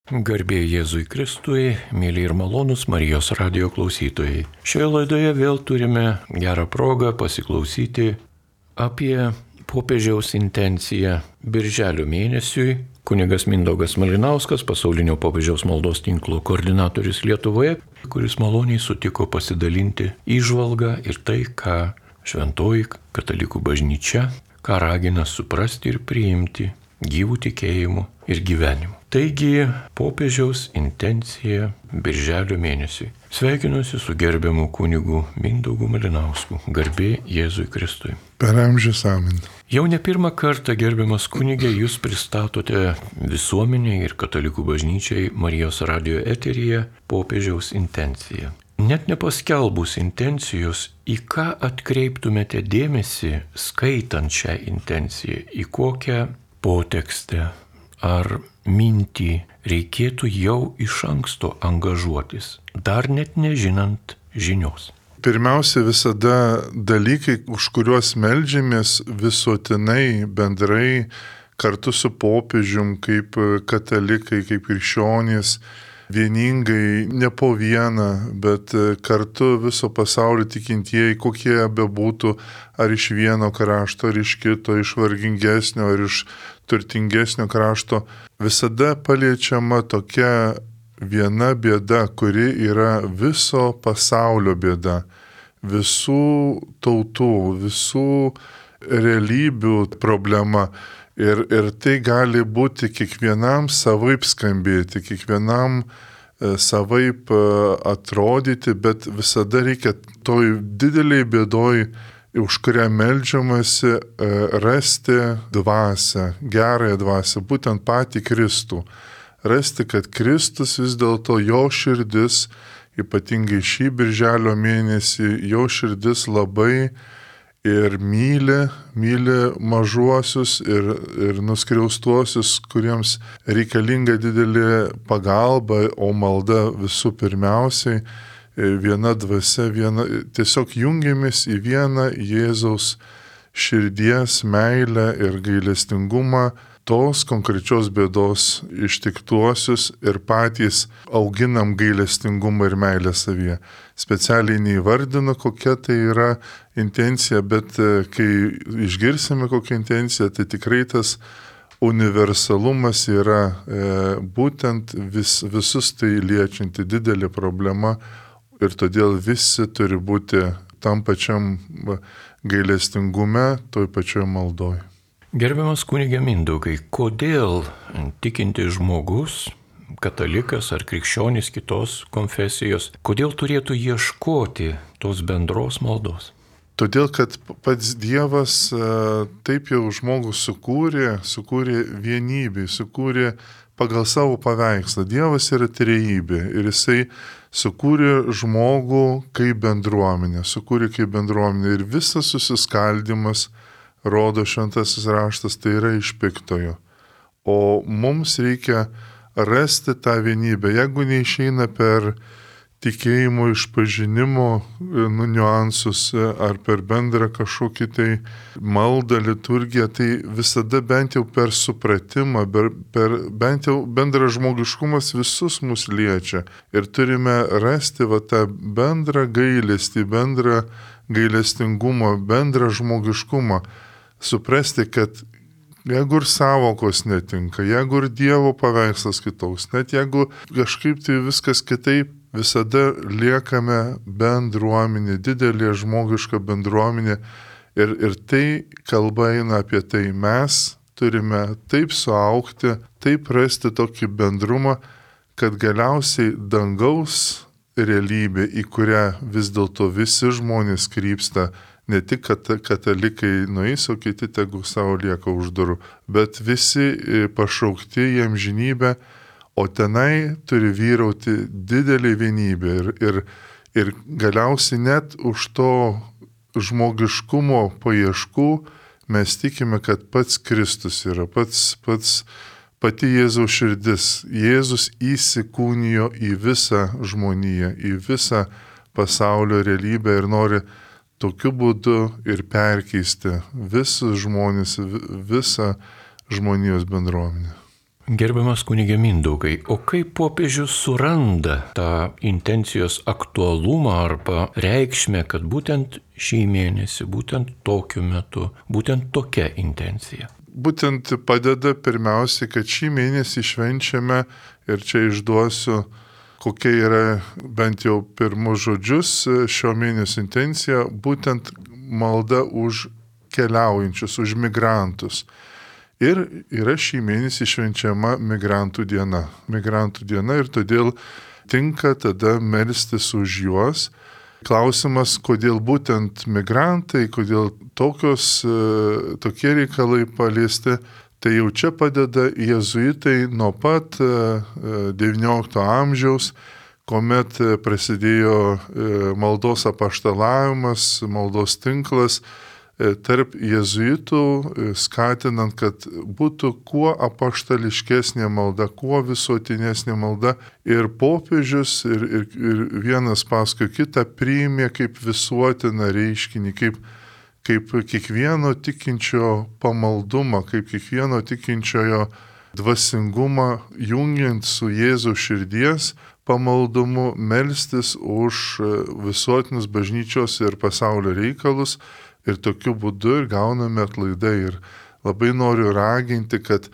Garbė Jėzui Kristui, mėly ir malonūs Marijos radijo klausytojai. Šioje laidoje vėl turime gerą progą pasiklausyti apie popiežiaus intenciją birželio mėnesiui. Kunigas Mindaugas Malinauskas, pasaulinio popiežiaus maldos tinklo koordinatorius Lietuvoje, kuris maloniai sutiko pasidalinti įžvalgą ir tai, ką šventoji katalikų bažnyčia, ką ragina suprasti ir priimti gyvų tikėjimų ir gyvenimų. Taigi, popiežiaus intencija birželio mėnesiui. Sveikinuosi su gerbiamu kunigu Mindaugu Malinausku. Garbė Jėzui Kristui. Per amžius amen. Jau ne pirmą kartą, gerbiamas kunigė, jūs pristatote visuomeniai ir katalikų bažnyčiai Marijos radijo eteryje popiežiaus intenciją. Net nepaskelbus intencijos, į ką atkreiptumėte dėmesį, skaitant šią intenciją, į kokią potekstę ar mintį reikėtų jau iš anksto angažuotis, dar net nežinant žinios. Pirmiausia, visada dalykai, už kuriuos meldžiamės visuotinai, bendrai, kartu su popiežium, kaip katalikai, kaip krikščionys, vieningai, ne po vieną, bet kartu viso pasaulio tikintieji, kokie bebūtų, ar iš vieno krašto, ar iš kito, iš vargingesnio, ar iš turtingesnio krašto, visada paliečiama tokia viena bėda, kuri yra viso pasaulio bėda, visų tautų, visų realybių problema. Ir tai gali būti kiekvienam savaip skambėti, kiekvienam savaip atrodyti, bet visada reikia toj dideliai bėdoj, už kurią meldžiamasi, rasti dvasią, gerąją dvasią, būtent patį Kristų. Rasti, kad Kristus vis dėlto jo širdis, ypatingai šį birželio mėnesį, jo širdis labai ir myli mažuosius ir nuskriaustuosius, kuriems reikalinga didelė pagalba, o malda visų pirmiausiai, viena dvasia, tiesiog jungiamės į vieną Jėzaus širdies meilę ir gailestingumą, tos konkrečios bėdos ištiktuosius ir patys auginam gailestingumą ir meilę savyje. Specialiai neįvardinu, kokia tai yra intencija, bet kai išgirsime kokią intenciją, tai tikrai tas universalumas yra būtent visus tai liečianti didelė problema ir todėl visi turi būti tam pačiam gailestingume, toj pačioj maldoj. Gerbiamas kunige Mindaugai, kodėl tikintis žmogus, katalikas ar krikščionis kitos konfesijos, kodėl turėtų ieškoti tos bendros maldos? Todėl, kad pats Dievas taip jau žmogų sukūrė vienybę, sukūrė pagal savo paveikslą. Dievas yra trejybė ir jisai sukūrė žmogų kaip bendruomenę, ir visas susiskaldimas, rodo šventasis raštas, tai yra iš piktojo. O mums reikia rasti tą vienybę. Jeigu neišeina per tikėjimo išpažinimo niuansus ar per bendrą kažkokį tai maldą, liturgiją, tai visada bent jau per supratimą, per bent jau bendrą žmogiškumas visus mus liečia. Ir turime rasti tą bendrą gailestį, bendrą gailestingumą, bendrą žmogiškumą. Suprasti, kad jeigu ir savokos netinka, jeigu ir Dievo paveikslas kitoks, net jeigu kažkaip tai viskas kitaip, visada liekame bendruomenė, didelė žmogiška bendruomenė ir tai kalba eina apie tai. Mes turime taip suaugti, taip rasti tokį bendrumą, kad galiausiai dangaus realybė, į kurią vis dėlto visi žmonės krypsta, ne tik katalikai nueis, o kiti tegu savo lieka už durų, bet visi pašaukti į amžinybę, o tenai turi vyrauti didelė vienybė ir galiausiai net už to žmogiškumo paieškų mes tikime, kad pats Kristus yra, pati Jėzaus širdis. Jėzus įsikūnijo į visą žmoniją, į visą pasaulio realybę ir nori tokiu būdu ir perkeisti visus žmonės, visą žmonijos bendruomenę. Gerbiamas kunige Mindaugai, o kaip popiežius suranda tą intencijos aktualumą arba reikšmę, kad būtent šį mėnesį, būtent tokiu metu, būtent tokia intencija? Būtent padeda pirmiausiai, kad šį mėnesį švenčiame, ir čia išduosiu, kokia yra bent jau pirmus žodžius šio mėnesio intencija, būtent malda už keliaujančius, už migrantus. Ir yra šį mėnesį švenčiama migrantų diena. Migrantų diena ir todėl tinka tada melstis už juos. Klausimas, kodėl būtent migrantai, kodėl tokie reikalai paliesti, tai jau čia padeda jėzuitai nuo pat XIX amžiaus, kuomet prasidėjo maldos apaštalavimas, maldos tinklas tarp jėzuitų, skatinant, kad būtų kuo apaštališkesnė malda, kuo visuotinesnė malda. Ir popiežius ir vienas paskui kitą priėmė kaip visuotiną reiškinį, kaip kiekvieno tikinčio pamaldumą, kaip kiekvieno tikinčiojo dvasingumą, jungiant su Jėzaus širdies pamaldumu, melstis už visuotinius bažnyčios ir pasaulio reikalus. Ir tokiu būdu ir gauname atlaidą. Ir labai noriu raginti, kad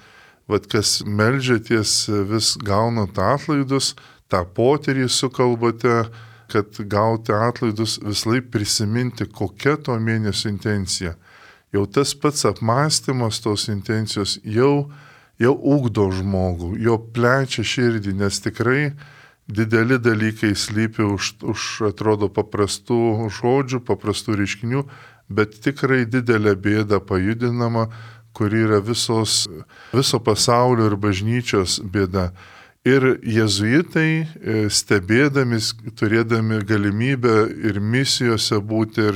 kas meldžiaties vis gaunant atlaidus, tą potyrį sukalbate, kad gauti atlaidus vislaip prisiminti, kokia to mėnesio intencija. Jau tas pats apmąstymas tos intencijos jau ugdo žmogų, jo plečia širdį, nes tikrai dideli dalykai slypi už atrodo paprastų žodžių, paprastų reiškinių, bet tikrai didelė bėda pajudinama, kuri yra viso pasaulio ir bažnyčios bėda. Ir jėzuitai, stebėdami, turėdami galimybę ir misijose būti,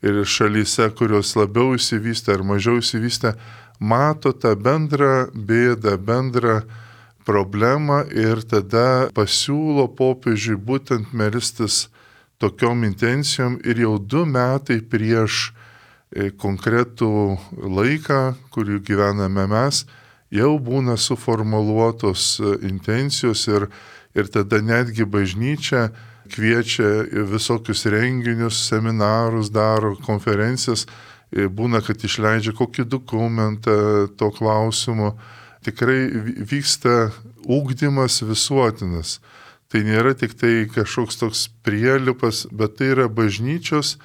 ir šalyse, kurios labiau išsivystę ar mažiau išsivystę, mato tą bendrą bėdą, bendrą problemą ir tada pasiūlo popiežiui būtent melstis tokiom intencijom ir jau 2 metai prieš konkretų laiką, kurį gyvename mes, jau būna suformuluotos intencijos ir tada netgi bažnyčia kviečia visokius renginius, seminarus daro, konferencijas, būna, kad išleidžia kokį dokumentą to klausimu. Tikrai vyksta ugdymas visuotinas. Tai nėra tik tai kažkoks toks prielipas, bet tai yra bažnyčios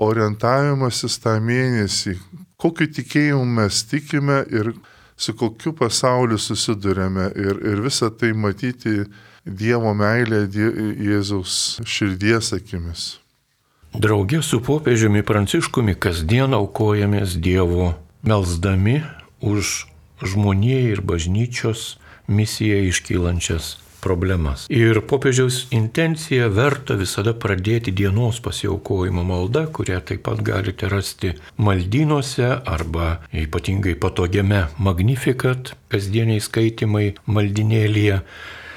orientavimasis tą mėnesį. Kokiu tikėjimu mes tikime ir su kokiu pasauliu susidurėme. Ir visą tai matyti Dievo meilė Jėzaus širdies akimis. Drauge su popiežiumi Pranciškumi kasdien aukojamės Dievo, melsdami už žmonijai ir bažnyčios misijai iškylančias problemas. Ir popiežiaus intencija verta visada pradėti dienos pasiaukojimo malda, kurią taip pat galite rasti maldynuose arba ypatingai patogiame Magnificat kasdieniai skaitimai maldinėlyje.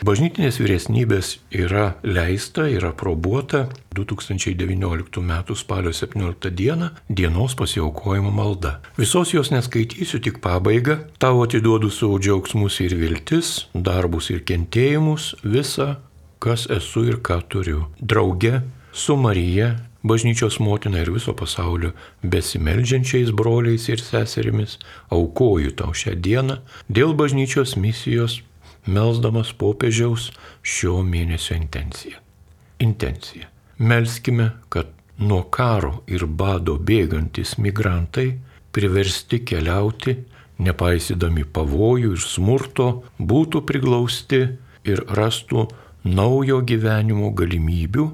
Bažnytinės vyresnybės yra leista ir aprobuota 2019 m. spalio 17 d. dienos pasiaukojimo malda. Visos jos neskaitysiu, tik pabaigą. Tau atiduodu savo džiaugsmus ir viltis, darbus ir kentėjimus, visą, kas esu ir ką turiu. Drauge su Marija, bažnyčios motina ir viso pasaulio besimeldžiančiais broliais ir seserimis, aukoju tau šią dieną dėl bažnyčios misijos, melsdamas popiežiaus šio mėnesio intenciją. Melskime, kad nuo karo ir bado bėgantis migrantai priversti keliauti, nepaisydami pavojų ir smurto, būtų priglausti ir rastų naujo gyvenimo galimybių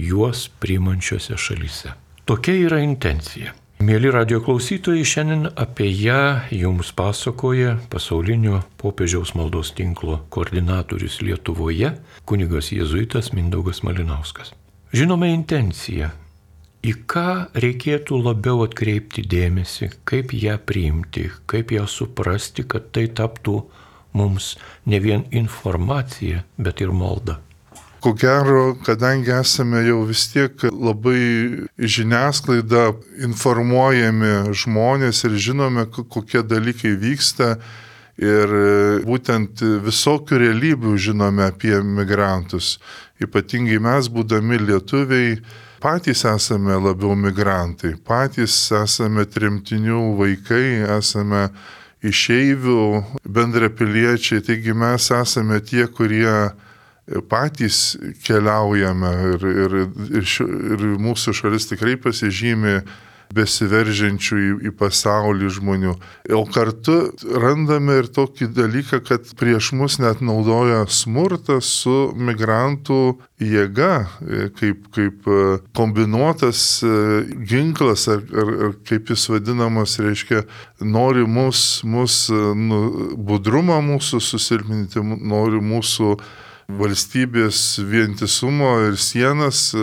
juos priimančiose šalyse. Tokia yra intencija. Mėly radijo klausytojai, šiandien apie ją jums pasakoja pasaulinio popiežiaus maldos tinklo koordinatorius Lietuvoje, kunigas jėzuitas Mindaugas Malinauskas. Žinome intenciją, į ką reikėtų labiau atkreipti dėmesį, kaip ją priimti, kaip ją suprasti, kad tai taptų mums ne vien informacija, bet ir malda. Ko gero, kadangi esame jau vis tiek labai žiniasklaida informuojami žmonės ir žinome, kokie dalykai vyksta Ir būtent visokių realybių žinome apie migrantus. Ypatingai mes, būdami lietuviai, patys esame labiau migrantai, patys esame tremtinių vaikai, esame išeivių bendrapiliečiai, taigi mes esame tie, kurie patys keliaujame ir mūsų šalis tikrai pasižymi besiveržiančių į pasaulį žmonių. O kartu randame ir tokį dalyką, kad prieš mus net naudoja smurtą su migrantų jėga, kaip kombinuotas ginklas, ar kaip jis vadinamas, reiškia, nori budrumą mūsų susilpninti, nori mūsų valstybės vientisumo ir sienas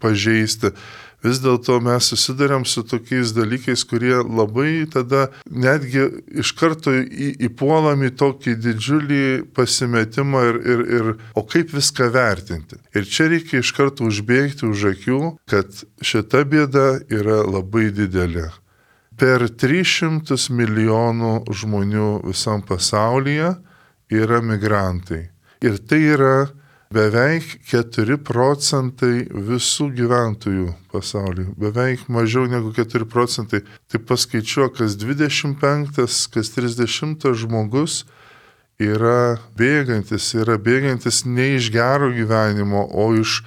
pažeisti. Vis dėlto mes susidariam su tokiais dalykais, kurie labai tada netgi iš karto įpuolam į tokį didžiulį pasimetimą ir o kaip viską vertinti. Ir čia reikia iš karto užbėgti už akių, kad šita bėda yra labai didelė. Per 300 milijonų žmonių visam pasaulyje yra migrantai. Ir tai yra beveik 4 procentai visų gyventojų pasaulyje. Beveik mažiau negu 4 procentai. Tai paskaičiuok, kas 25, kas 30 žmogus yra bėgantis ne iš gero gyvenimo, o iš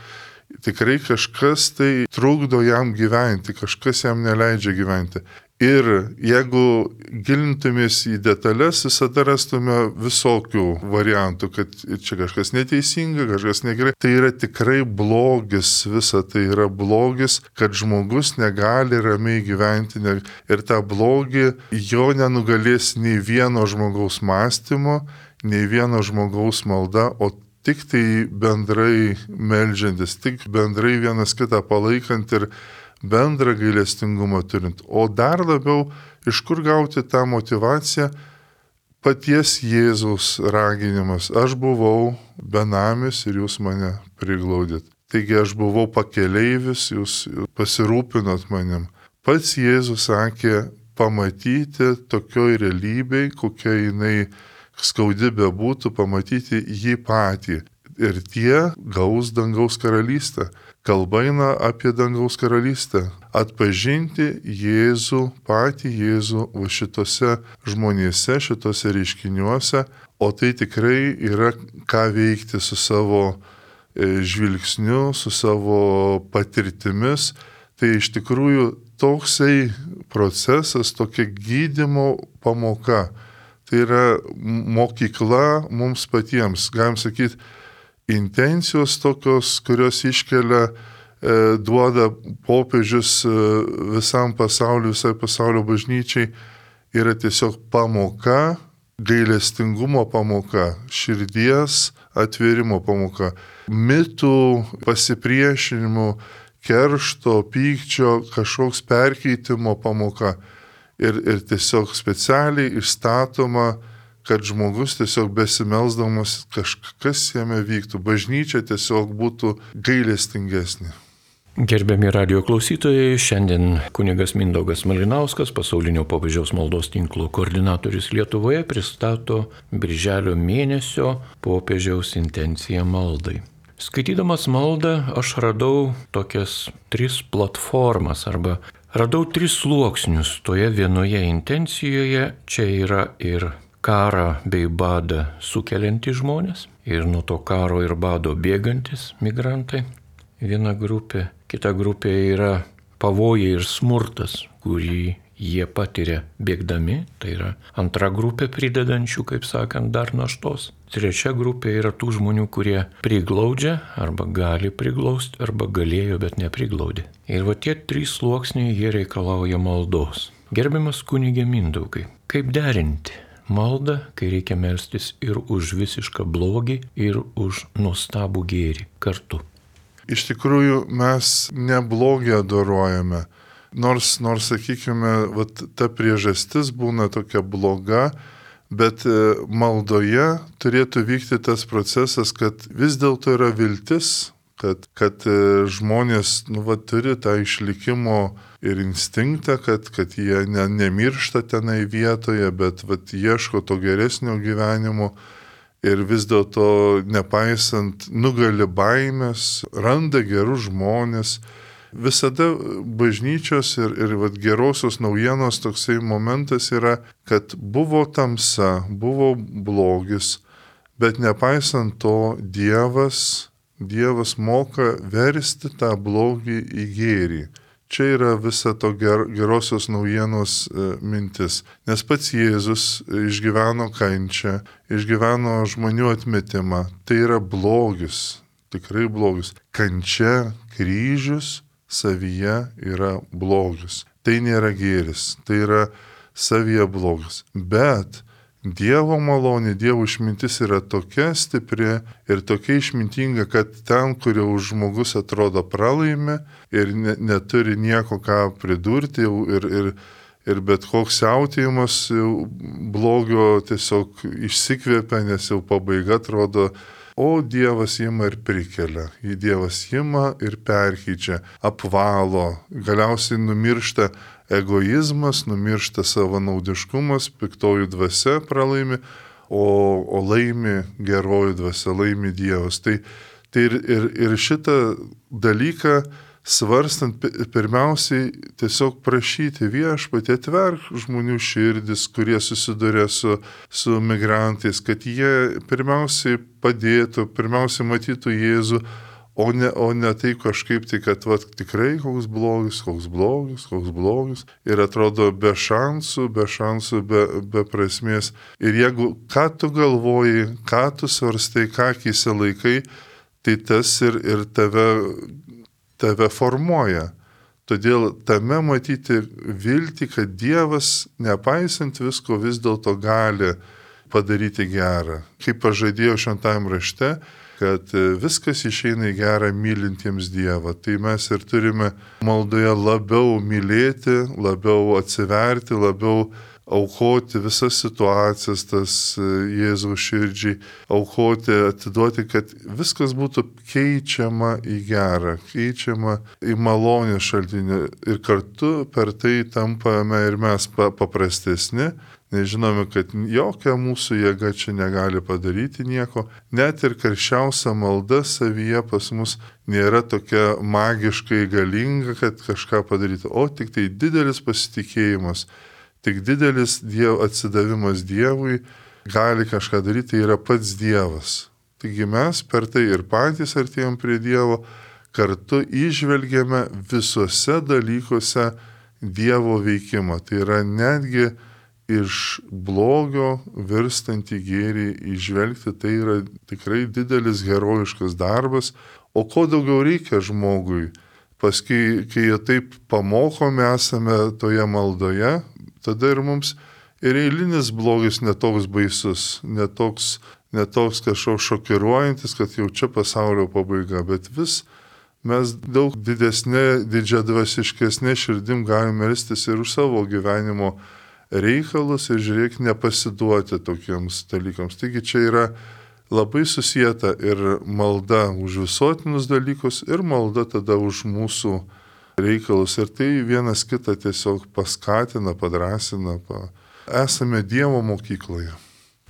tikrai kažkas tai trukdo jam gyventi, kažkas jam neleidžia gyventi. Ir jeigu gilintumės į detalės, visada rastume visokių variantų, kad čia kažkas neteisinga, kažkas negerai. Tai yra tikrai blogis, visa tai yra blogis, kad žmogus negali ramiai gyventi. Ir tą blogį jo nenugalės nei vieno žmogaus mąstymo, nei vieno žmogaus malda, o tik tai bendrai meldžiantis, tik bendrai vienas kitą palaikant ir bendrą gailestingumą turint. O dar labiau, iš kur gauti tą motyvaciją? Paties Jėzaus raginimas. Aš buvau benamis ir jūs mane priglaudėt. Taigi aš buvau pakeleivis, jūs pasirūpinot manim. Pats Jėzus sakė pamatyti tokioj realybėj, kokia jinai skaudi bebūtų, pamatyti jį patį. Ir tie gaus dangaus karalystę. Kalba eina apie dangaus karalystę. Atpažinti Jėzų, patį Jėzų va šitose žmonėse, šitose reiškiniuose, o tai tikrai yra ką veikti su savo žvilgsniu, su savo patirtimis. Tai iš tikrųjų toksai procesas, tokia gydymo pamoka. Tai yra mokykla mums patiems, galim sakyti, intencijos tokios, kurios iškelia, duoda popiežius visam pasauliu, visai pasaulio bažnyčiai, yra tiesiog pamoka, gailestingumo pamoka, širdies atvėrimo pamoka, mitų pasipriešinimų, keršto, pykčio, kažkoks perkeitimo pamoka ir tiesiog specialiai išstatoma, kad žmogus tiesiog besimelsdamas kažkas jame vyktų, bažnyčia tiesiog būtų gailestingesnė. Gerbiami radio klausytojai, šiandien kunigas Mindaugas Malinauskas, pasaulinio popiežiaus maldos tinklo koordinatorius Lietuvoje, pristato birželio mėnesio popiežiaus intenciją maldai. Skaitydamas maldą aš radau tokias 3 platformas arba radau 3 sluoksnius toje vienoje intencijoje. Čia yra ir karą bei badą sukeliantys žmonės ir nuo to karo ir bado bėgantis migrantai. Viena grupė, kita grupė yra pavojai ir smurtas, kurį jie patiria bėgdami. Tai yra antra grupė pridedančių, kaip sakant, dar naštos. Trečia grupė yra tų žmonių, kurie priglaudžia arba gali priglausti, arba galėjo, bet nepriglaudė. Ir va tie 3 sluoksniai jie reikalauja maldos. Gerbiamas kunige Mindaugai, kaip derinti maldą, kai reikia melstis ir už visišką blogį, ir už nuostabų gėrį kartu? Iš tikrųjų, mes ne blogį adorojame. Nors sakykime, ta priežastis būna tokia bloga, bet maldoje turėtų vykti tas procesas, kad vis dėlto yra viltis, kad žmonės turi tą išlikimo ir instinktą, kad jie nemiršta tenai vietoje, bet ieško to geresnio gyvenimo ir vis dėlto nepaisant nugali baimės, randa gerus žmonės. Visada bažnyčios ir gerosios naujienos toksai momentas yra, kad buvo tamsa, buvo blogis, bet nepaisant to Dievas moka versti tą blogį į gėrį. Čia yra visa to gerosios naujienos mintis. Nes pats Jėzus išgyveno kančią, išgyveno žmonių atmetimą. Tai yra blogis, tikrai blogis. Kančia, kryžius savyje yra blogis. Tai nėra gėris, tai yra savyje blogis. Bet Dievo malonė, Dievo išmintis yra tokia stipri ir tokia išmintinga, kad ten, kur jau žmogus atrodo pralaimi ir neturi nieko ką pridurti ir bet koks siautėjimas blogio tiesiog išsikvėpia, nes jau pabaiga atrodo, o Dievas ima ir prikelia, Dievas ima ir perkeičia, apvalo, galiausiai numiršta egoizmas, numiršta savanaudiškumas, piktoji dvasia pralaimi, o laimi geroji dvasia, laimi Dievas. Tai ir šitą dalyką svarstant, pirmiausiai tiesiog prašyti Viešpatie, atverk žmonių širdis, kurie susiduria su migrantais, kad jie pirmiausiai padėtų, pirmiausiai matytų Jėzų, o ne tai kažkaip tai, kad tikrai koks blogis ir atrodo be šansų, be prasmės. Ir jeigu ką tu galvoji, ką tu svarstai, ką akyse laikai, tai tas ir tave formuoja. Todėl tame matyti viltį, kad Dievas, nepaisant visko, vis dėlto gali padaryti gerą. Kaip pažadėjo šventajame rašte, kad viskas išeina į gerą mylintiems Dievą. Tai mes ir turime maldoje labiau mylėti, labiau atsiverti, labiau aukoti visas situacijas, tas Jėzaus širdžiai, aukoti, atiduoti, kad viskas būtų keičiama į gerą, keičiama į malonės šaltinį ir kartu per tai tampame ir mes paprastesni. Nežinome, kad jokia mūsų jėga čia negali padaryti nieko. Net ir karščiausia malda savyje pas mus nėra tokia magiškai galinga, kad kažką padaryti, o tik tai didelis pasitikėjimas, tik didelis atsidavimas Dievui gali kažką daryti, tai yra pats Dievas. Taigi mes per tai ir patys artėjom prie Dievo, kartu įžvelgiame visuose dalykuose Dievo veikimą. Tai yra netgi iš blogio virstantį gėrį įžvelgti, tai yra tikrai didelis herojiškas darbas. O ko daugiau reikia žmogui? Paskui, kai jie taip pamokomi esame toje maldoje, tada ir mums ir eilinis blogis netoks baisus, netoks kažkoks šokiruojantis, kad jau čia pasaulio pabaiga, bet vis mes daug didžiadvasiškesnė širdim galime melstis ir už savo gyvenimo reikalus ir žiūrėk nepasiduoti tokiems dalykams. Taigi čia yra labai susijęta ir malda už visuotinius dalykus ir malda tada už mūsų reikalus. Ir tai vienas kitą tiesiog paskatina, padrasina. Esame Dievo mokykloje.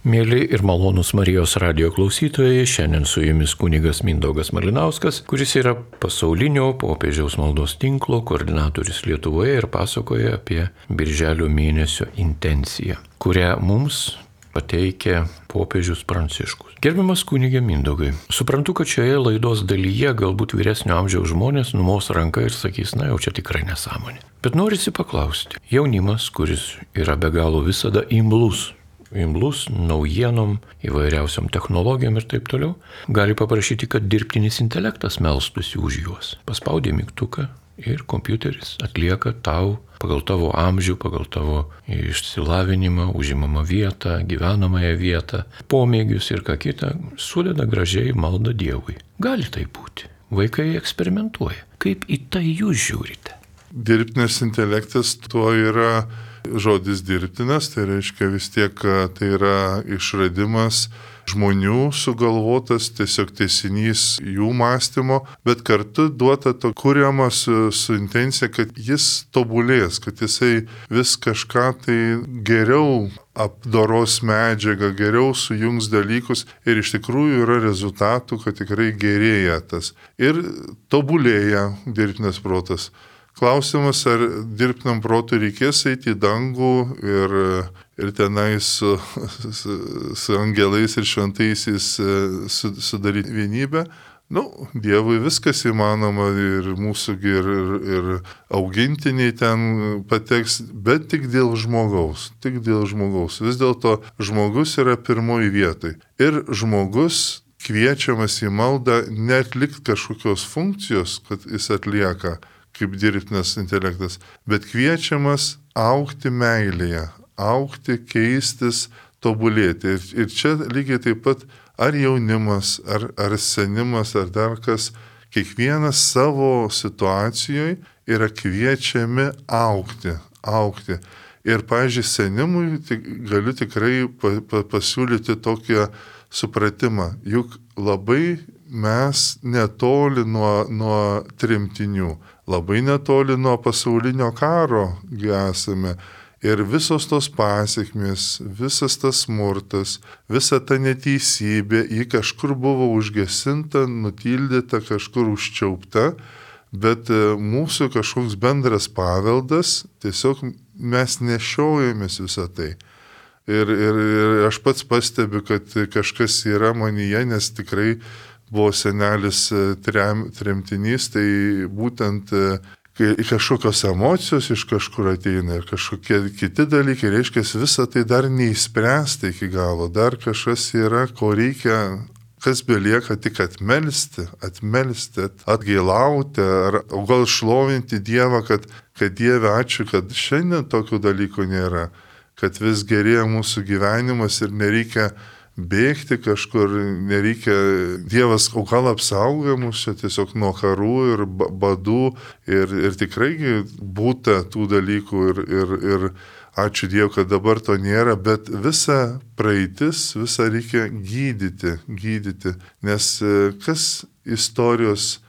Mėly ir malonūs Marijos radijo klausytojai, šiandien su jumis kunigas Mindaugas Malinauskas, kuris yra pasaulinio popiežiaus maldos tinklo koordinatorius Lietuvoje ir pasakoja apie Birželio mėnesio intenciją, kurią mums pateikė popiežius Pranciškus. Gerbiamas kunige Mindaugai, suprantu, kad šioje laidos dalyje galbūt vyresnio amžiaus žmonės numos ranką ir sakys, na jau čia tikrai nesąmonė. Bet norisi paklausti, jaunimas, kuris yra be galo visada imlus naujienom, įvairiausiom technologijom ir taip toliau, gali paprašyti, kad dirbtinis intelektas melstųsi už juos. Paspaudė mygtuką ir kompiuteris atlieka tau pagal tavo amžių, pagal tavo išsilavinimą, užimamą vietą, gyvenamąją vietą, pomėgius ir ką kitą, sudeda gražiai maldą Dievui. Gali tai būti. Vaikai eksperimentuoja. Kaip į tai jūs žiūrite? Dirbtinis intelektas tuo yra žodis dirbtinas, tai reiškia vis tiek tai yra išradimas žmonių sugalvotas, tiesiog tęsinys jų mąstymo, bet kartu duota to kuriama su intencija, kad jis tobulės, kad jisai vis kažką tai geriau apdoros medžiagą, geriau sujungs dalykus ir iš tikrųjų yra rezultatų, kad tikrai gerėja tas. Ir tobulėja dirbtinas protas. Klausimas, ar dirbtinam protui reikės eiti į dangų ir tenai su angelais ir šventaisiais sudaryti vienybę. Dievui viskas įmanoma ir mūsų ir augintiniai ten pateks, bet tik dėl žmogaus. Tik dėl žmogaus. Vis dėlto žmogus yra pirmoji vietoj. Ir žmogus kviečiamas į maldą neatlikti kažkokios funkcijos, kad jis atlieka kaip dirbtinas intelektas, bet kviečiamas augti meilėje, augti, keistis, tobulėti. Ir čia lygiai taip pat ar jaunimas, ar senimas, ar dar kas, kiekvienas savo situacijoje yra kviečiami augti. Ir, pavyzdžiui, senimui galiu tikrai pasiūlyti tokią supratimą, juk labai mes netoli nuo tremtinių, labai netoli nuo pasaulinio karo esame. Ir visos tos pasiekmės, visas tas smurtas, visa ta neteisybė, ji kažkur buvo užgesinta, nutildyta, kažkur užčiaupta, bet mūsų kažkoks bendras paveldas, tiesiog mes nešiojamės visą tai. Ir aš pats pastebiu, kad kažkas yra manyje, nes tikrai buvo senelis tremtinys, tai būtent kažkokios emocijos iš kažkur ateina ir kažkokie kiti dalykai, reiškia, visą tai dar neįspręsta iki galo, dar kažkas yra, ko reikia, kas belieka tik atmelsti, atgailauti, o gal šlovinti Dievą, kad Dieve ačiū, kad šiandien tokių dalykų nėra, kad vis gerėja mūsų gyvenimas ir nereikia bėgti kažkur, nereikia, Dievas o gal apsaugoja mus čia tiesiog nuo karų ir badų ir tikrai būta tų dalykų ir ačiū Dievui, kad dabar to nėra, bet visa praeitis, visą reikia gydyti, nes kas istorijos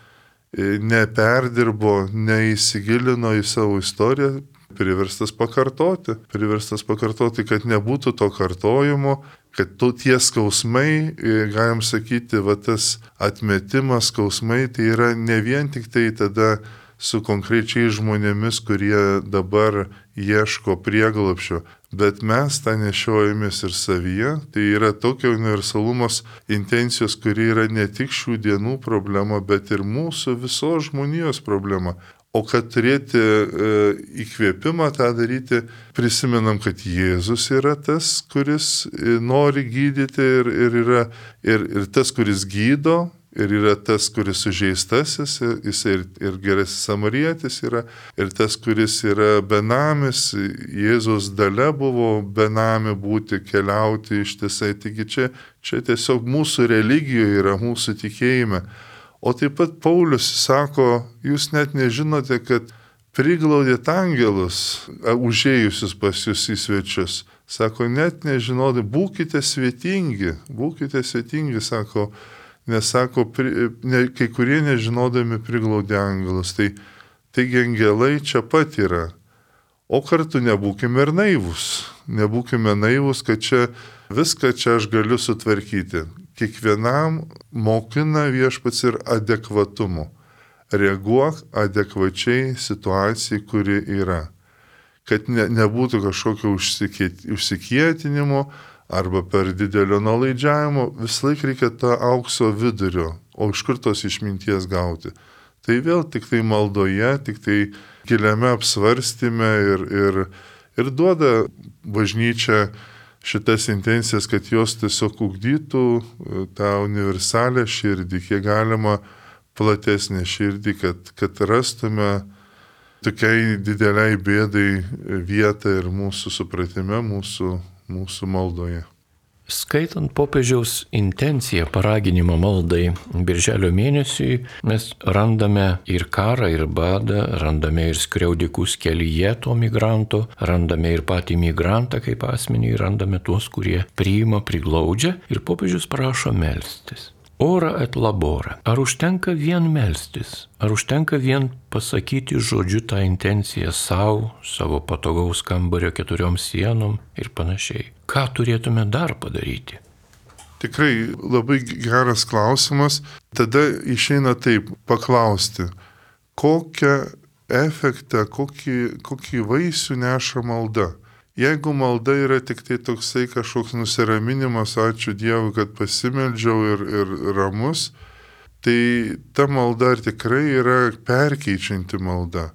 neperdirbo, neįsigilino į savo istoriją, priverstas pakartoti, kad nebūtų to kartojimo, kad tie skausmai, galim sakyti, tas atmetimas skausmai, tai yra ne vien tik tai tada su konkrečiais žmonėmis, kurie dabar ieško prieglobsčio, bet mes tą nešiojamės ir savyje, tai yra tokio universalumos intencijos, kuri yra ne tik šių dienų problema, bet ir mūsų visos žmonijos problema. O kad turėti įkvėpimą tą daryti, prisimenam, kad Jėzus yra tas, kuris nori gydyti ir tas, kuris gydo, ir yra tas, kuris sužeistasis, jis ir gerasis samarietis yra, ir tas, kuris yra benamis, Jėzus dalia buvo benami būti, keliauti ištisai, taigi čia tiesiog mūsų religijoje yra, mūsų tikėjime. O taip pat Paulius sako, jūs net nežinote, kad priglaudėt angelus, užėjusius pas jūs į svečius. Sako, net nežinodai, būkite svetingi, sako, nes sako, kai kurie nežinodami priglaudė angelus. Taigi angelai čia pat yra. O kartu nebūkime ir naivus, kad čia viską čia aš galiu sutvarkyti. Kiekvienam mokina Viešpats ir adekvatumu. Reaguok adekvačiai situacijai, kuri yra. Kad nebūtų kažkokio užsikietinimo arba per didelio nuolaidžiavimo, visą laiką reikia tą aukso vidurio, o iš kur tos išminties gauti. Tai vėl tik tai maldoje, tik tai giliame apsvarstyme ir duoda bažnyčia šitas intencijas, kad jos tiesiog ugdytų tą universalią širdį, kiek galima platesnę širdį, kad rastume tokiai dideliai bėdai vietą ir mūsų supratime, mūsų maldoje. Skaitant popiežiaus intenciją paraginimą maldai birželio mėnesiui, mes randame ir karą, ir badą, randame ir skriaudikus kelyje to migranto, randame ir patį migrantą kaip asmenį, randame tuos, kurie priima, priglaudžia ir popiežius prašo melstis. Ora et labora. Ar užtenka vien melstis? Ar užtenka vien pasakyti žodžiu tą intenciją savo patogaus kambario 4 sienom ir panašiai? Ką turėtume dar padaryti? Tikrai labai geras klausimas. Tada išeina taip paklausti, kokią efektą, kokį vaisių neša malda. Jeigu malda yra tik tai toksai kažkoks nusiraminimas, ačiū Dievui, kad pasimeldžiau ir ramus, tai ta malda tikrai yra perkeičianti malda.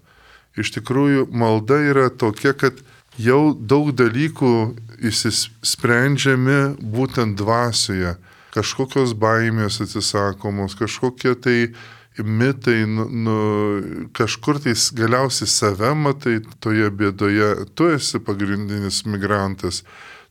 Iš tikrųjų, malda yra tokia, kad jau daug dalykų išsisprendžiami būtent dvasioje. Kažkokios baimės atsisakomos, kažkokie tai mitai, kažkur tai galiausiai save matai toje bėdoje, tu esi pagrindinis migrantas.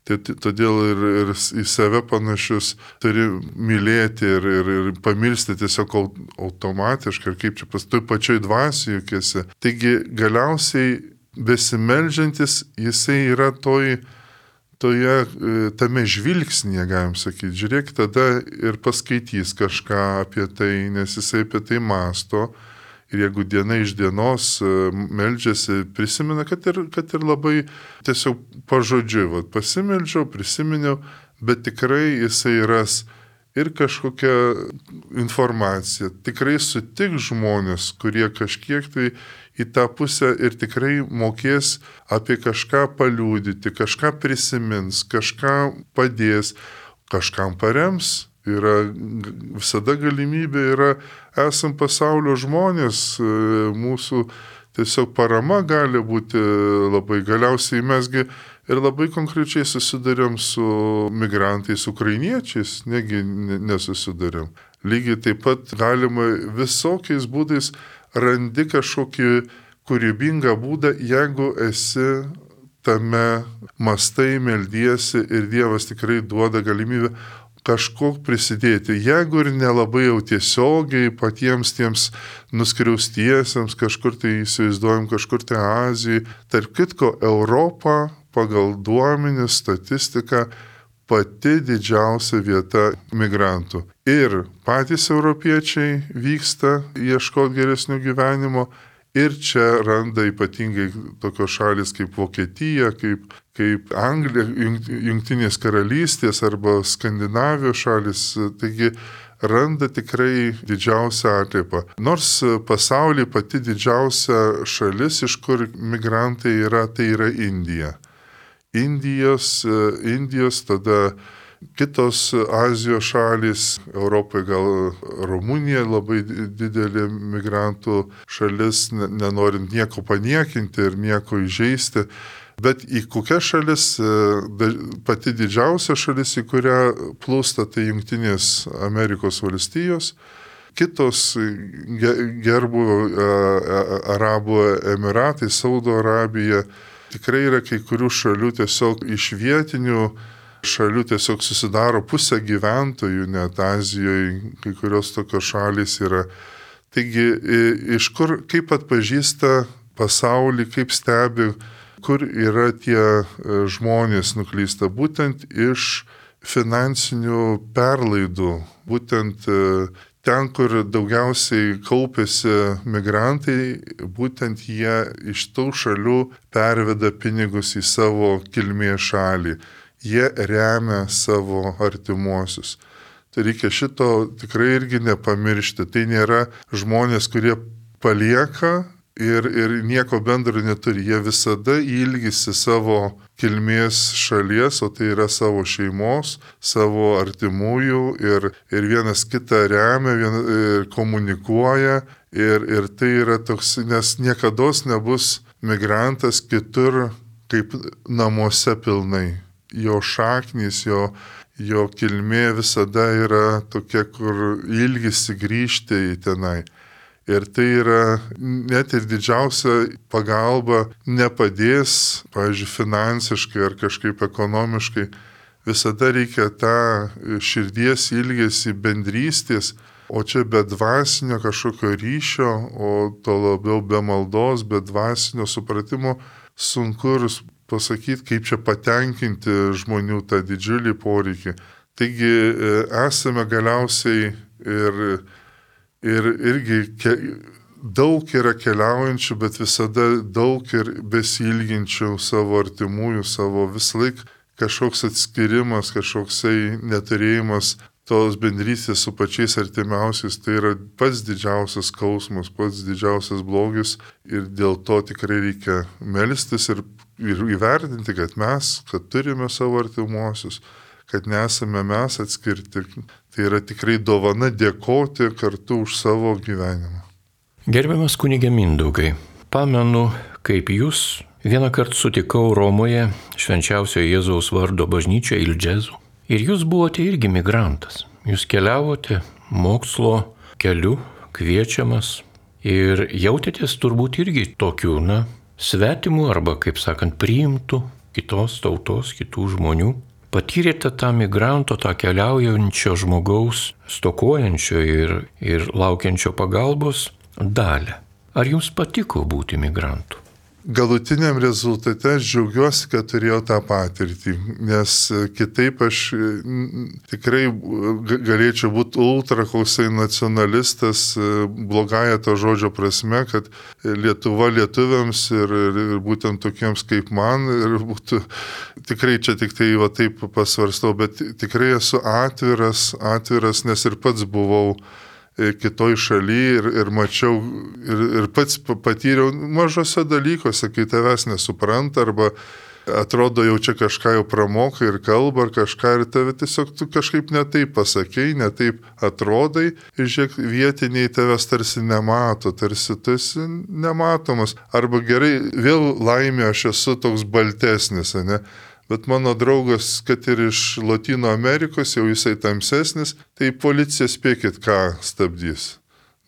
Todėl ir į save panašius turi mylėti ir pamilsti tiesiog automatiškai, ir kaip čia toj pačioj dvasiai juk esi. Taigi galiausiai besimeldžiantis jisai yra tame žvilgsnėje, galim sakyti. Žiūrėk, tada ir paskaitys kažką apie tai, nes jisai apie tai mąsto. Ir jeigu diena iš dienos meldžiasi, prisimena, kad ir labai tiesiog pažodžiu, pasimeldžiau, prisiminiau, bet tikrai jisai ras ir kažkokią informaciją. Tikrai sutiks žmonės, kurie kažkiek tai į tą pusę ir tikrai mokės apie kažką paliūdyti, kažką prisimins, kažką padės, kažkam parems. Visada galimybė yra, esam pasaulio žmonės, mūsų tiesiog parama gali būti labai. Galiausiai mesgi ir labai konkrečiai susidurėm su migrantais, ukrainiečiais, negi nesusidurėm. Lygiai taip pat galima visokiais būdais randi kažkokį kūrybingą būdą, jeigu esi tame mastai, meldiesi ir Dievas tikrai duoda galimybę kažko prisidėti. Jeigu ir nelabai jau tiesiogiai patiems tiems nuskriaustiesiems, kažkur tai įsivaizduojam, kažkur tai Azijai. Tarp kitko, Europa pagal duomenis, statistiką, pati didžiausia vieta migrantų. Ir patys europiečiai vyksta ieškoti geresnio gyvenimo ir čia randa ypatingai tokios šalis kaip Vokietija, kaip Anglija, Jungtinės karalystės arba Skandinavijos šalis. Taigi randa tikrai didžiausią atliepą. Nors pasaulyje pati didžiausia šalis, iš kur migrantai yra, tai yra Indija. Indijos, tada kitos Azijos šalys, Europoje gal Rumunija labai didelė migrantų šalis, nenorint nieko paniekinti ir nieko įžeisti. Bet į kokią šalis, pati didžiausia šalis, į kurią plūsta, tai Jungtinės Amerikos valstijos, kitos gerbuvio Arabų Emiratai, Saudo Arabija. Tikrai yra kai kurių šalių tiesiog iš vietinių šalių tiesiog susidaro pusę gyventojų, net Azijoje kai kurios tokios šalys yra. Taigi, iš kur, kaip atpažįsta pasaulį, kaip stebi, kur yra tie žmonės nuklysta, būtent iš finansinių perlaidų, būtent ten, kur daugiausiai kaupėsi migrantai, būtent jie iš tų šalių perveda pinigus į savo kilmės šalį. Jie remia savo artimuosius. Tai reikia šito tikrai irgi nepamiršti. Tai nėra žmonės, kurie palieka ir nieko bendro neturi. Jie visada ilgisi savo kilmės šalies, o tai yra savo šeimos, savo artimųjų ir vienas kitą remia, komunikuoja ir tai yra toks, nes niekados nebus migrantas kitur kaip namuose pilnai. Jo šaknys, jo kilmė visada yra tokia, kur ilgisi grįžti į tenai. Ir tai yra net ir didžiausia pagalba nepadės, pavyzdžiui, finansiškai ar kažkaip ekonomiškai, visada reikia tą širdies ilgesį bendrystės, o čia be dvasinio kažkokio ryšio, o to labiau be maldos, be dvasinio supratimo sunku ir pasakyti, kaip čia patenkinti žmonių tą didžiulį poreikį. Taigi esame galiausiai ir irgi daug yra keliaujančių, bet visada daug ir besilginčių savo artimųjų, savo visąlaik kažkoks atskirimas, kažkoksai neturėjimas tos bendrystės su pačiais artimiausiais, tai yra pats didžiausias skausmas, pats didžiausias blogis ir dėl to tikrai reikia melstis ir įvertinti, kad turime savo artimuosius, kad nesame mes atskirti. Tai yra tikrai dovana dėkoti kartu už savo gyvenimą. Gerbiamas kunige Mindaugai, pamenu, kaip jūs vieną kartą sutikau Romoje Švenčiausiojo Jėzaus vardo bažnyčioje Ildžezų. Ir jūs buvote irgi migrantas. Jūs keliavote mokslo keliu, kviečiamas ir jautėtės turbūt irgi tokių, svetimų arba, kaip sakant, priimtų kitos tautos, kitų žmonių. Patyrėte tą migranto, tą keliaujančio žmogaus, stokojančio ir laukiančio pagalbos dalį. Ar jums patiko būti migrantu? Galutiniam rezultate aš džiaugiuosi, kad turėjau tą patirtį, nes kitaip aš tikrai galėčiau būti ultra koksai nacionalistas, blogąja to žodžio prasme, kad Lietuva lietuviams ir būtent tokiems kaip man, ir būtų tikrai čia tik tai taip pasvarstau, bet tikrai esu atviras, nes ir pats buvau kitoj šaly ir mačiau ir pats patyriau mažose dalykuose, kai tavęs nesupranta arba atrodo jau čia kažką jau pramoka ir kalba ar kažką ir tave tiesiog tu kažkaip netaip pasakei, netaip atrodai ir žiūrėk, vietiniai tavęs tarsi nemato, tarsi tu esi nematomas. Arba gerai, vėl laimė aš esu toks baltesnis, ne? Bet mano draugas, kad ir iš Lotynų Amerikos, jau jisai tamsesnis, tai policija spėkit, ką stabdys.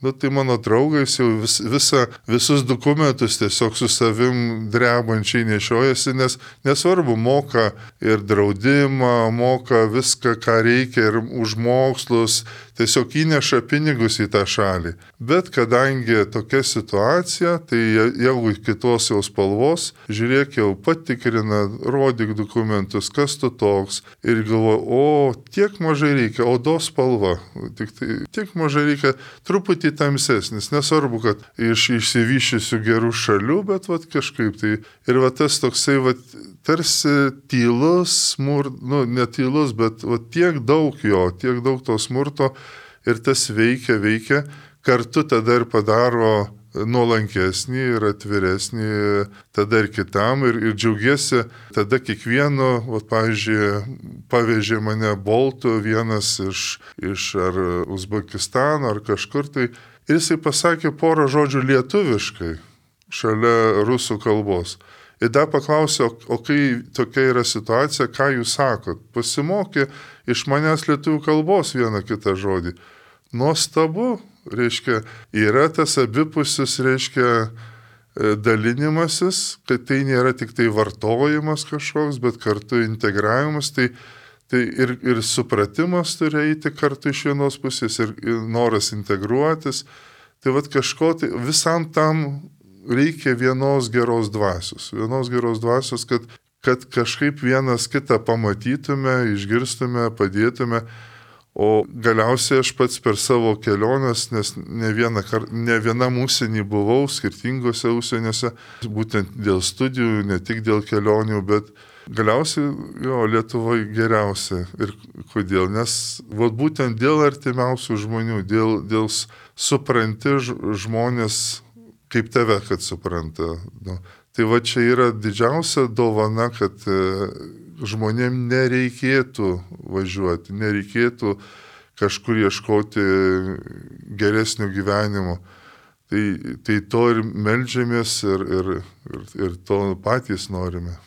Tai mano draugas jau visus dokumentus tiesiog su savim drebančiai nešiojasi, nes nesvarbu, moka ir draudimą, moka viską, ką reikia ir už mokslus, tiesiog įneša pinigus į tą šalį. Bet kadangi tokia situacija, tai jeigu kitos jau spalvos, žiūrėk, jau patikrina, rodyk dokumentus, kas tu toks. Ir galvoja, tiek mažai reikia, odos spalva, tiek mažai reikia, truputį tamsesnis. Nesvarbu, kad iš išsivyščiusių gerų šalių, bet kažkaip tai. Ir tas toksai, tarsi tylus, ne tylus, bet tiek daug to smurto ir tas veikia, kartu tada ir padaro nuolankesnį ir atviresnį tada ir kitam ir džiaugiesi tada kiekvienu, pavyzdžiui, pavežė mane Boltu vienas iš ar Uzbekistano ar kažkur tai ir jisai pasakė porą žodžių lietuviškai šalia rusų kalbos. Ir dar paklausė, o kai tokia yra situacija, ką jūs sakot? Pasimokė iš manęs lietuvių kalbos vieną kitą žodį. Nuostabu, reiškia, yra tas abipusis, reiškia, dalinimasis, kad tai nėra tik tai vartojimas kažkoks, bet kartu integravimas, tai ir supratimas turi eiti kartu iš vienos pusės ir noras integruotis. Tai kažko, tai visam tam reikia vienos geros dvasios, kad kažkaip vienas kitą pamatytume, išgirstume, padėtume, o galiausiai aš pats per savo keliones, nes ne vienam užsienį buvau, skirtingose užsieniuose, būtent dėl studijų, ne tik dėl kelionių, bet galiausiai Lietuvoje geriausia. Ir kodėl? Nes būtent dėl artimiausių žmonių, dėl supranti žmonės, kaip tave, kad supranta. Tai čia yra didžiausia dovana, kad žmonėm nereikėtų važiuoti, nereikėtų kažkur ieškoti geresnio gyvenimo. Tai to ir meldžiamės ir to patys norime.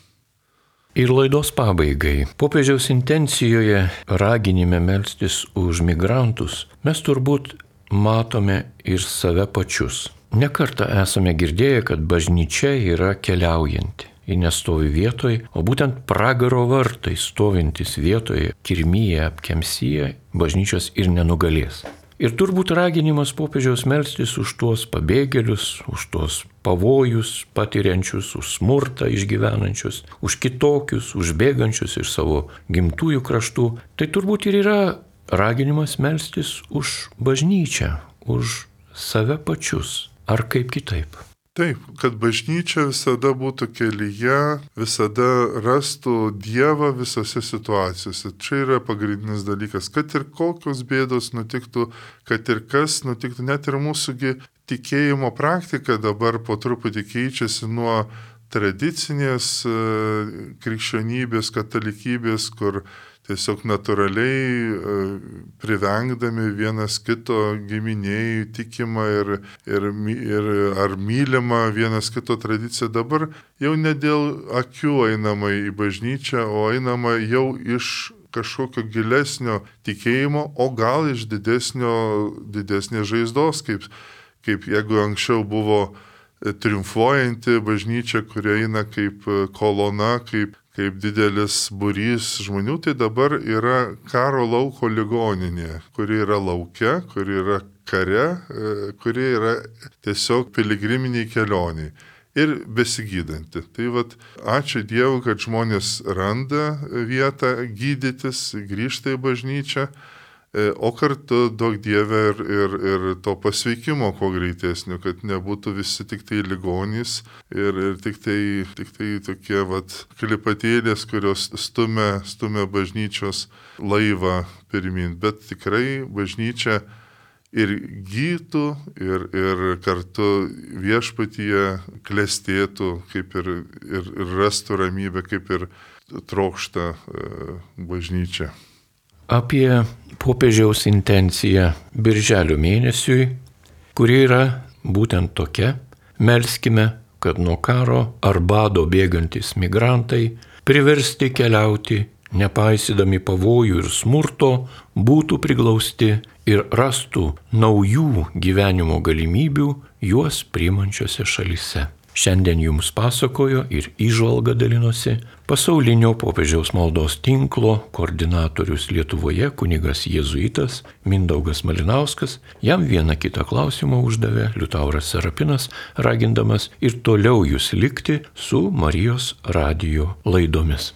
Ir laidos pabaigai. Popiežiaus intencijoje raginime melstis už migrantus mes turbūt matome ir save pačius. Nekartą esame girdėję, kad bažnyčia yra keliaujanti. ji nestovi vietoje, o būtent pragaro vartai stovintis vietoje, kirmyje, apkemsyje, bažnyčios ir nenugalės. Ir turbūt raginimas popiežiaus melstis už tuos pabėgėlius, už tuos pavojus patiriančius, už smurtą išgyvenančius, už kitokius, už bėgančius iš savo gimtųjų kraštų, tai turbūt ir yra raginimas melstis už bažnyčią, už save pačius, ar kaip kitaip. Taip, kad bažnyčia visada būtų kelyje, visada rastų Dievą visose situacijose. Čia yra pagrindinis dalykas, kad ir kokios bėdos nutiktų, kad ir kas nutiktų, net ir mūsųgi tikėjimo praktika dabar po truputį keičiasi nuo tradicinės krikščionybės, katalikybės, kur tiesiog natūraliai privengdami vienas kito giminėjų tikimą ir ar mylimą vienas kito tradiciją, dabar jau ne dėl akių einama į bažnyčią, o einama jau iš kažkokio gilesnio tikėjimo, o gal iš didesnės žaizdos, kaip jeigu anksčiau buvo triumfuojanti bažnyčia, kurie eina kaip kolona, kaip didelis būrys žmonių, tai dabar yra karo lauko ligoninė, kuri yra lauke, kuri yra kare, kuri yra tiesiog piligriminiai kelioniai ir besigydanti. Tai ačiū Dievui, kad žmonės randa vietą gydytis, grįžta į bažnyčią, o kartu duok Dieve ir to pasveikimo kuo greitesnio, kad nebūtų visi tik tai ligonys ir tik tai tokie klipatėlės, kurios stumia bažnyčios laivą pirmin. Bet tikrai bažnyčia ir gytų, ir kartu viešpatyje klestėtų, kaip ir rastų ramybę, kaip ir trokšta bažnyčia. Apie popiežiaus intenciją birželio mėnesiui, kuri yra būtent tokia: melskime, kad nuo karo ar bado bėgantys migrantai, priversti keliauti, nepaisydami pavojų ir smurto, būtų priglausti ir rastų naujų gyvenimo galimybių juos priimančiose šalyse. Šiandien jums pasakojo ir įžvalga dalinosi pasaulinio popiežiaus maldos tinklo koordinatorius Lietuvoje kunigas jėzuitas Mindaugas Malinauskas. Jam vieną kitą klausimą uždavė Liutauras Serapinas, ragindamas ir toliau jūs likti su Marijos radijo laidomis.